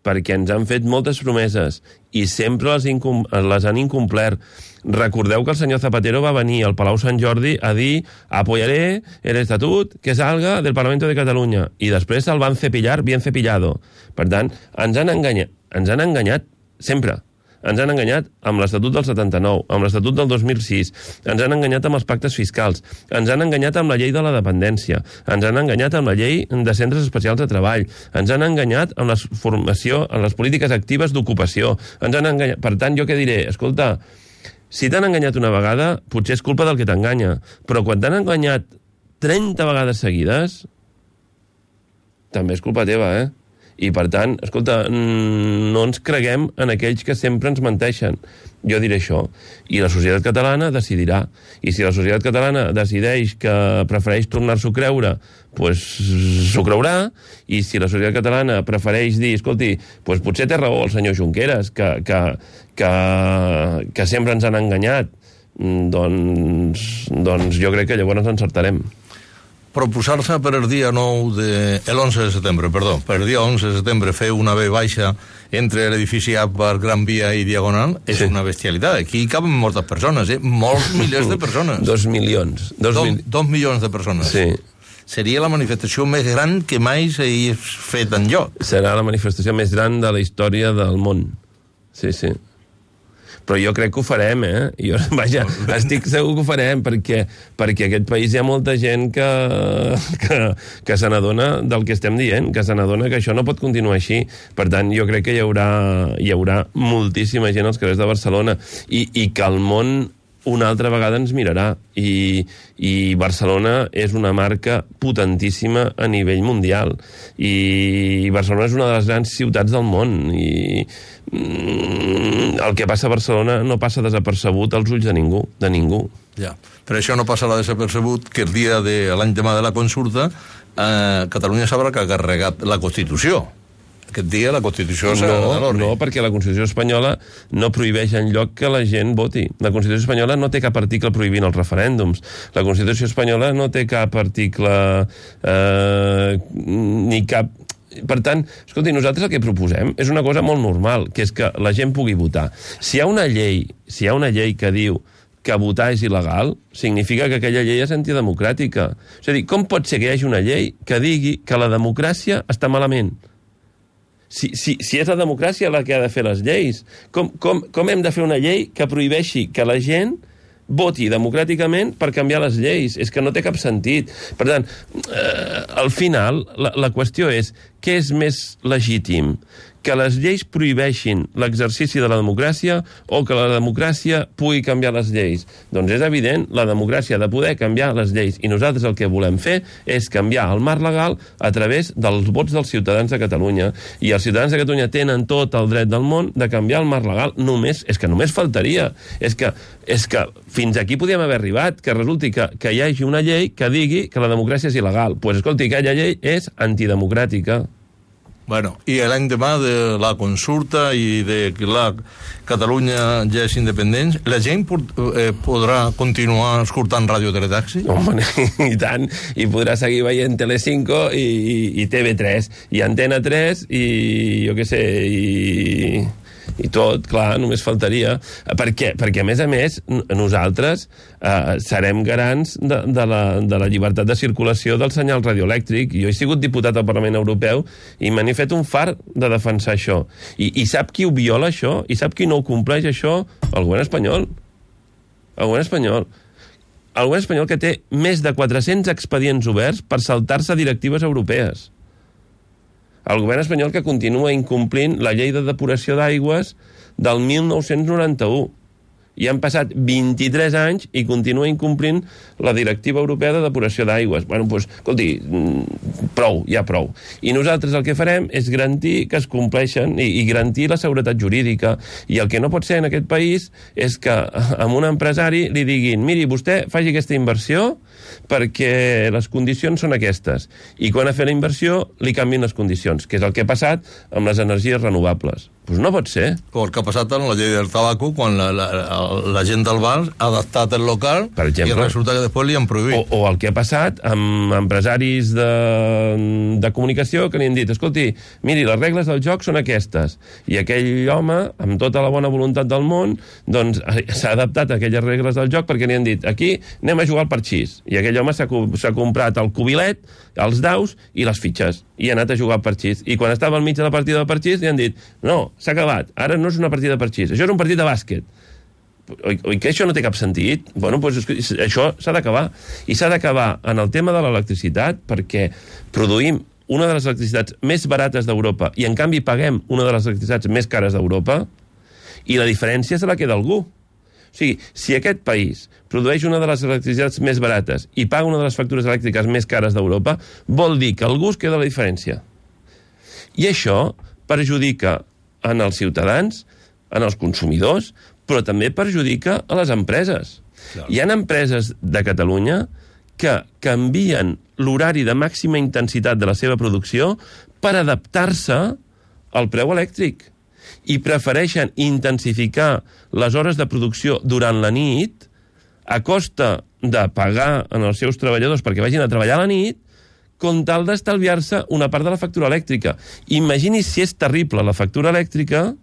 perquè ens han fet moltes promeses i sempre les han incomplert. Recordeu que el senyor Zapatero va venir al Palau Sant Jordi a dir apoyaré el estatut que salga del Parlamento de Catalunya, i després el van cepillar bien cepillado. Per tant, ens han enganyat sempre. Ens han enganyat amb l'Estatut del 79, amb l'Estatut del 2006, ens han enganyat amb els pactes fiscals, ens han enganyat amb la llei de la dependència, ens han enganyat amb la llei de centres especials de treball, ens han enganyat amb la formació, amb les polítiques actives d'ocupació, ens han enganyat... Per tant, jo què diré? Escolta, si t'han enganyat una vegada, potser és culpa del que t'enganya, però quan t'han enganyat 30 vegades seguides, també és culpa teva, I, per tant, escolta, no ens creguem en aquells que sempre ens menteixen. Jo diré això. I la societat catalana decidirà. I si la societat catalana decideix que prefereix tornar-s'ho a creure, doncs s'ho creurà. I si la societat catalana prefereix dir, escolti, doncs potser té raó el senyor Junqueras, que sempre ens han enganyat, doncs jo crec que llavors ens encertarem. Proposar-se per el dia 9 el 11 de setembre, perdó, per el dia 11 de setembre fer una B baixa entre l'edifici A per Gran Via i Diagonal és una bestialitat. Aquí caben moltes persones, molts milers de persones. 2 milions. 2 milions de persones. Sí. Seria la manifestació més gran que mai s'hagi fet enlloc. Serà la manifestació més gran de la història del món. Sí. Però jo crec que ho farem, estic segur que ho farem, perquè aquest país hi ha molta gent que se n'adona del que estem dient, que se n'adona que això no pot continuar així. Per tant, jo crec que hi haurà moltíssima gent als carrers de Barcelona i que el món una altra vegada ens mirarà, i Barcelona és una marca potentíssima a nivell mundial, i Barcelona és una de les grans ciutats del món, i el que passa a Barcelona no passa desapercebut als ulls de ningú. Ja, però això no passarà desapercebut que el dia de l'any demà de la consulta Catalunya sabrà que ha carregat la Constitució. Aquest dia la Constitució serà de l'orri. No, perquè la Constitució espanyola no prohibeix enlloc que la gent voti. La Constitució espanyola no té cap article prohibint els referèndums. La Constitució espanyola no té cap article ni cap... Per tant, escolti, nosaltres el que proposem és una cosa molt normal, que és que la gent pugui votar. Si hi ha una llei que diu que votar és il·legal, significa que aquella llei és antidemocràtica. És a dir, com pot ser que hi hagi una llei que digui que la democràcia està malament? Si és la democràcia la que ha de fer les lleis, com hem de fer una llei que prohibeixi que la gent voti democràticament per canviar les lleis? És que no té cap sentit. Per tant, al final, la qüestió és què és més legítim? Que les lleis prohibeixin l'exercici de la democràcia o que la democràcia pugui canviar les lleis? Doncs és evident, la democràcia ha de poder canviar les lleis, i nosaltres el que volem fer és canviar el marc legal a través dels vots dels ciutadans de Catalunya. I els ciutadans de Catalunya tenen tot el dret del món de canviar el marc legal. És que només faltaria. És que fins aquí podíem haver arribat, que resulti que hi hagi una llei que digui que la democràcia és il·legal. Doncs escolti, aquella llei és antidemocràtica. Bueno, i l'any demà de la consulta i de que la Catalunya ja és independent, la gent podrà continuar escoltant Ràdio Teletaxi? Home, i tant, i podrà seguir veient Telecinco i TV3, i Antena 3, i jo què sé, i tot, clar, només faltaria. Perquè a més, nosaltres serem garants de la llibertat de circulació del senyal radioelèctric. Jo he sigut diputat al Parlament Europeu i me n'he fet un far de defensar això. I sap qui ho viola, això? I sap qui no ho compleix, això? El govern espanyol. El govern espanyol. El govern espanyol, que té més de 400 expedients oberts per saltar-se directives europees. El govern espanyol, que continua incomplint la llei de depuració d'aigües del 1991. I han passat 23 anys i continua incomplint la directiva europea de depuració d'aigües. Bueno, doncs, escolti, prou, ja prou. I nosaltres el que farem és garantir que es compleixen i garantir la seguretat jurídica. I el que no pot ser en aquest país és que a un empresari li diguin: miri, vostè faci aquesta inversió perquè les condicions són aquestes. I quan ha fet la inversió li canvien les condicions, que és el que ha passat amb les energies renovables. Doncs no pot ser. O el que ha passat amb la llei del tabaco, quan la gent del bar ha adaptat el local, per exemple, i resulta que després li han prohibit. O el que ha passat amb empresaris de comunicació que li han dit, escolti, miri, les regles del joc són aquestes. I aquell home, amb tota la bona voluntat del món, doncs s'ha adaptat a aquelles regles del joc perquè li han dit, aquí anem a jugar al parxís. I aquell home s'ha comprat el cubilet, els daus i les fitxes. I ha anat a jugar al parxís. I quan estava al mig de la partida del parxís li han dit, no, s'ha acabat, ara no és una partida de parxís, això és un partit de bàsquet. Oi que això no té cap sentit? Bueno, doncs això s'ha d'acabar. I s'ha d'acabar en el tema de l'electricitat perquè produïm una de les electricitats més barates d'Europa i en canvi paguem una de les electricitats més cares d'Europa i la diferència se la queda algú. O sigui, si aquest país produeix una de les electricitats més barates i paga una de les factures elèctriques més cares d'Europa, vol dir que algú es queda la diferència. I això perjudica en els ciutadans, en els consumidors, però també perjudica a les empreses. Clar. Hi ha empreses de Catalunya que canvien l'horari de màxima intensitat de la seva producció per adaptar-se al preu elèctric i prefereixen intensificar les hores de producció durant la nit a costa de pagar als seus treballadors perquè vagin a treballar a la nit com tal d'estalviar-se una part de la factura elèctrica. Imagini's si és terrible la factura elèctrica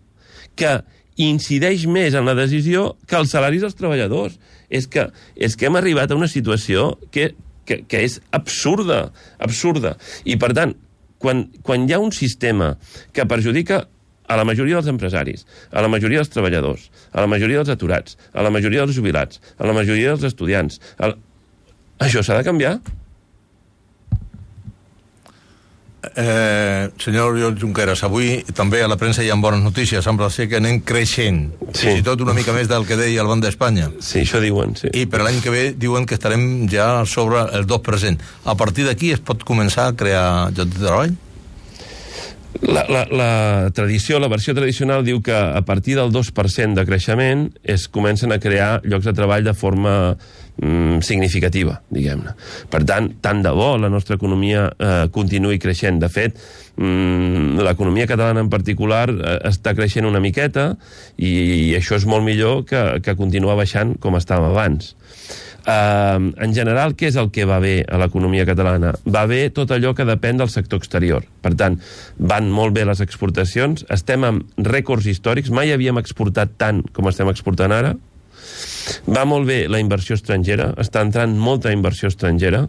que incideix més en la decisió que els salaris dels treballadors. És que hem arribat a una situació que és absurda, absurda. I, per tant, quan hi ha un sistema que perjudica a la majoria dels empresaris, a la majoria dels treballadors, a la majoria dels aturats, a la majoria dels jubilats, a la majoria dels estudiants, això s'ha de canviar? Senyor Oriol Junqueras, avui també a la premsa hi ha bones notícies, sembla ser que anem creixent, fins i tot una mica més del que deia el Banc d'Espanya. Sí, això diuen, sí. I per l'any que ve diuen que estarem ja sobre el 2%. A partir d'aquí es pot començar a crear llocs de treball? La tradició, la versió tradicional diu que a partir del 2% de creixement es comencen a crear llocs de treball de forma significativa, diguem-ne. Per tant, tant de bo la nostra economia continuï creixent. De fet, l'economia catalana en particular està creixent una miqueta i això és molt millor que continuar baixant com estàvem abans. En general, què és el que va bé a l'economia catalana? Va bé tot allò que depèn del sector exterior. Per tant, van molt bé les exportacions, estem amb rècords històrics, mai havíem exportat tant com estem exportant ara. Va molt bé la inversió estrangera, està entrant molta inversió estrangera.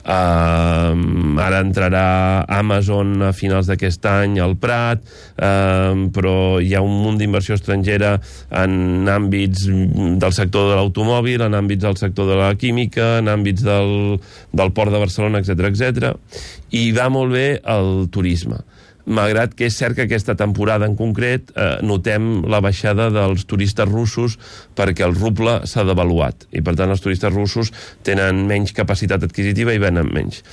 Ara entrarà Amazon a finals d'aquest any al Prat, però hi ha un munt d'inversió estrangera en àmbits del sector de l'automòbil, en àmbits del sector de la química, en àmbits del Port de Barcelona, etc. I va molt bé el turisme, malgrat que és cert que aquesta temporada en concret notem la baixada dels turistes russos perquè el ruble s'ha devaluat i per tant els turistes russos tenen menys capacitat adquisitiva i venen menys.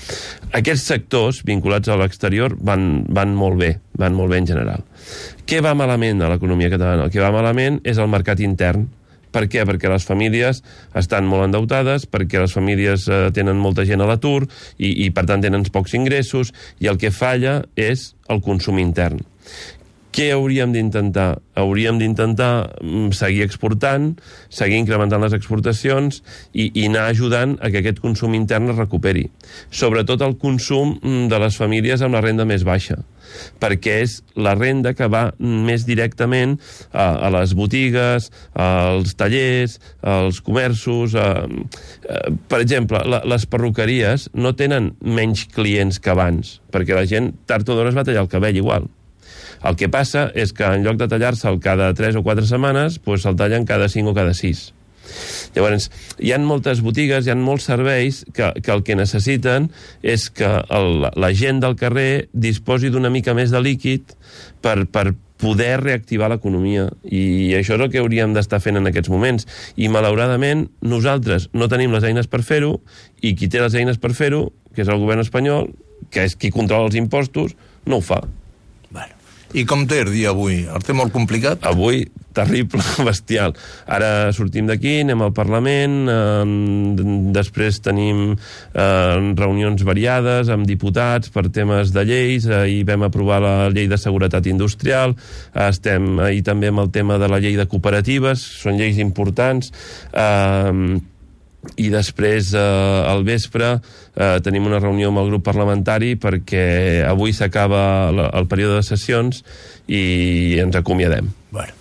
Aquests sectors vinculats a l'exterior van molt bé en general. Què va malament a l'economia catalana? El que va malament és el mercat intern. Per què? Perquè les famílies estan molt endeutades, perquè les famílies tenen molta gent a l'atur i per tant tenen pocs ingressos i el que falla és el consum intern. Què hauríem d'intentar? Hauríem d'intentar seguir exportant, seguir incrementant les exportacions i anar ajudant a que aquest consum intern es recuperi. Sobretot el consum de les famílies amb la renda més baixa, perquè és la renda que va més directament a les botigues, als tallers, als comerços. Per exemple, les perruqueries no tenen menys clients que abans, perquè la gent tard o d'hora es va tallar el cabell igual. El que passa és que en lloc de tallar-se'l cada 3 o 4 setmanes, doncs se'l tallen cada 5 o cada 6. Llavors, hi ha moltes botigues, hi ha molts serveis que el que necessiten és que la gent del carrer disposi d'una mica més de líquid per poder reactivar l'economia. I això és el que hauríem d'estar fent en aquests moments. I, malauradament, nosaltres no tenim les eines per fer-ho i qui té les eines per fer-ho, que és el govern espanyol, que és qui controla els impostos, no ho fa. Bueno, I com té el dia avui? El té molt complicat? Avui, terrible, bestial. Ara sortim d'aquí, anem al Parlament, després tenim reunions variades amb diputats per temes de lleis, ahir vam aprovar la llei de seguretat industrial, estem ahir també amb el tema de la llei de cooperatives, són lleis importants, i després al vespre tenim una reunió amb el grup parlamentari perquè avui s'acaba el període de sessions i ens acomiadem. Bueno.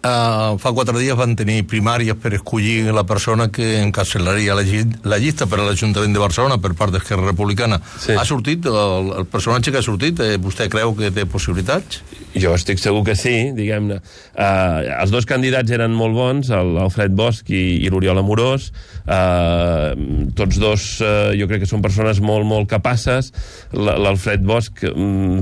Fa 4 dies van tenir primàries per escollir la persona que encapçalaria la llista per a l'Ajuntament de Barcelona per part d'Esquerra Republicana. Sí. Ha sortit, el personatge que ha sortit, vostè creu que té possibilitats? Jo estic segur que sí, diguem-ne. Els dos candidats eren molt bons, l'Alfred Bosch i l'Oriol Amorós. Tots dos jo crec que són persones molt, molt capaces. L'Alfred Bosch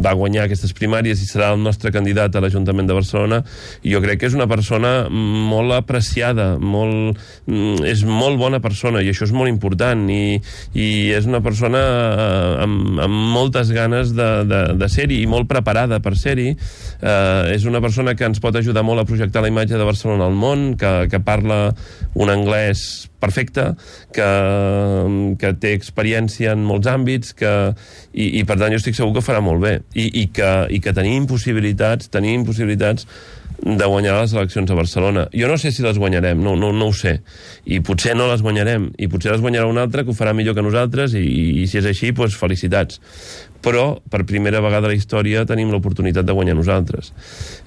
va guanyar aquestes primàries i serà el nostre candidat a l'Ajuntament de Barcelona. I jo crec que és una persona molt apreciada, és molt bona persona, i això és molt important, i és una persona amb moltes ganes de ser-hi, i molt preparada per ser-hi. És una persona que ens pot ajudar molt a projectar la imatge de Barcelona al món, que parla un anglès perfecte, que té experiència en molts àmbits, i per tant jo estic segur que ho farà molt bé, i que tenim possibilitats de guanyar les eleccions a Barcelona. Jo no sé si les guanyarem, no ho sé, i potser no les guanyarem, i potser les guanyarà un altre que ho farà millor que nosaltres, i si és així, doncs felicitats. Però per primera vegada a la història tenim l'oportunitat de guanyar nosaltres.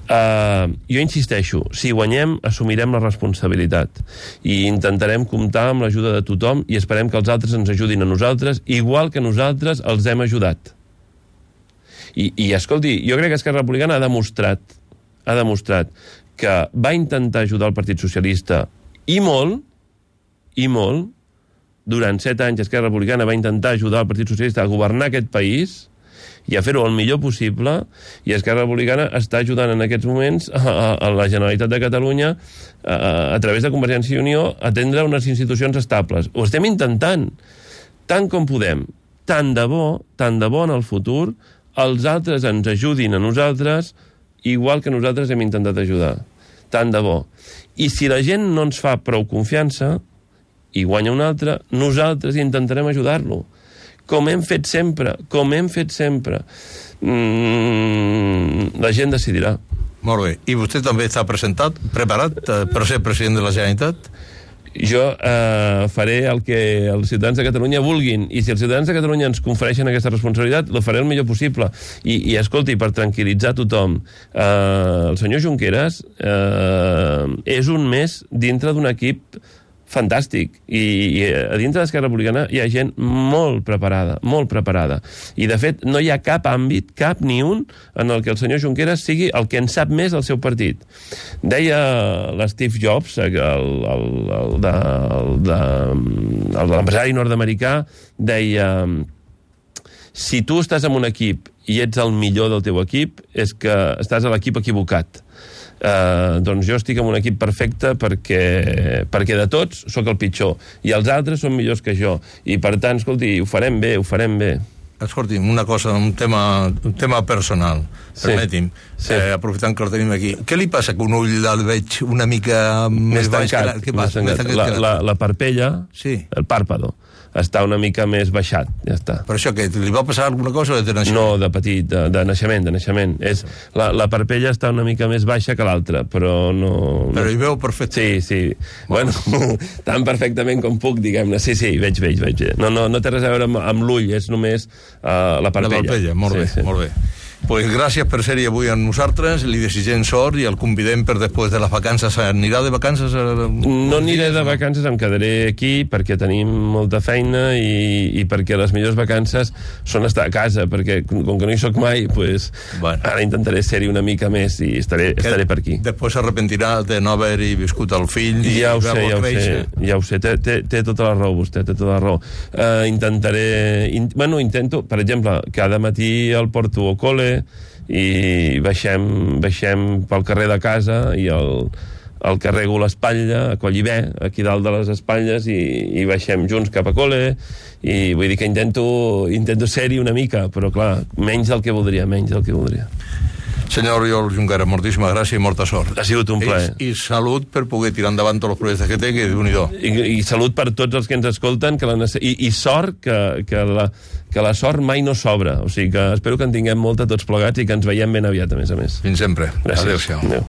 Jo insisteixo, si guanyem assumirem la responsabilitat i intentarem comptar amb l'ajuda de tothom i esperem que els altres ens ajudin a nosaltres igual que nosaltres els hem ajudat. I escolti, jo crec que Esquerra Republicana ha demostrat que va intentar ajudar el Partit Socialista i molt, durant 7 anys Esquerra Republicana va intentar ajudar el Partit Socialista a governar aquest país i a fer-ho el millor possible, i Esquerra Republicana està ajudant en aquests moments a la Generalitat de Catalunya a través de Convergència i Unió a atendre unes institucions estables. Ho estem intentant tant com podem. Tant de bo en el futur els altres ens ajudin a nosaltres igual que nosaltres hem intentat ajudar. Tant de bo. I si la gent no ens fa prou confiança i guanya un altre, nosaltres intentarem ajudar-lo. Com hem fet sempre. La gent decidirà. Molt bé. I vostè també està preparat per ser president de la Generalitat? Jo faré el que els ciutadans de Catalunya vulguin, i si els ciutadans de Catalunya ens confereixen aquesta responsabilitat, la faré el millor possible. I escolti, per tranquil·litzar tothom, el senyor Junqueras és un més dintre d'un equip fantàstic, i a dintre d'Esquerra Republicana hi ha gent molt preparada, i de fet no hi ha cap àmbit, cap ni un, en el que el senyor Junqueras sigui el que en sap més del seu partit. Deia l'Steve Jobs, l'empresari nord-americà, deia: si tu estàs en un equip i ets el millor del teu equip, és que estàs a l'equip equivocat. Doncs jo estic en un equip perfecte perquè de tots sóc el pitjor i els altres són millors que jo, i per tant, escolti, ho farem bé. Escolti'm, una cosa, un tema personal, permeti'm, aprofitant que el tenim aquí. Què li passa que un ull el veig una mica més baix? Què passa? La parpella, el pàrpado, està una mica més baixat, ja està. Per això, que li va passar alguna cosa de naixement? No, de petit, de naixement. La parpella està una mica més baixa que l'altra, però no... Però hi veu perfecte? Sí. Bueno, tan perfectament com puc, diguem-ne. Sí, veig. No té res a veure amb l'ull, és només la parpella. La parpella, molt bé. Pues gràcies per ser-hi avui amb nosaltres, li desitgem sort i el convidem per després de les vacances. Anirà de vacances? No aniré de vacances, em quedaré aquí perquè tenim molta feina i perquè les millors vacances són estar a casa, perquè com que no hi soc mai, pues, ara intentaré ser-hi una mica més i estaré per aquí. Després s'arrepentirà de no haver-hi viscut el fill i veure-lo créixer. Ja ho sé, té tota la raó vostè, té tota la raó. Intento, per exemple, cada matí el porto al col·le i baixem pel carrer de casa i el carrego l'espatlla, a Collibè, aquí dalt de les espatlles, i baixem junts cap a col·le, i vull dir que intento ser-hi una mica, però clar, menys del que voldria. Senyor Oriol Junqueras, moltíssima gràcia i molta sort. Ha sigut un plaer. I salut per poder tirar endavant tots els projectes que té, que Déu-n'hi-do. I salut per tots els que ens escolten, i sort que la sort mai no sobra. O sigui que espero que en tinguem molta tots plegats i que ens veiem ben aviat, a més a més. Fins sempre. Gràcies. Adéu-siau. Adéu.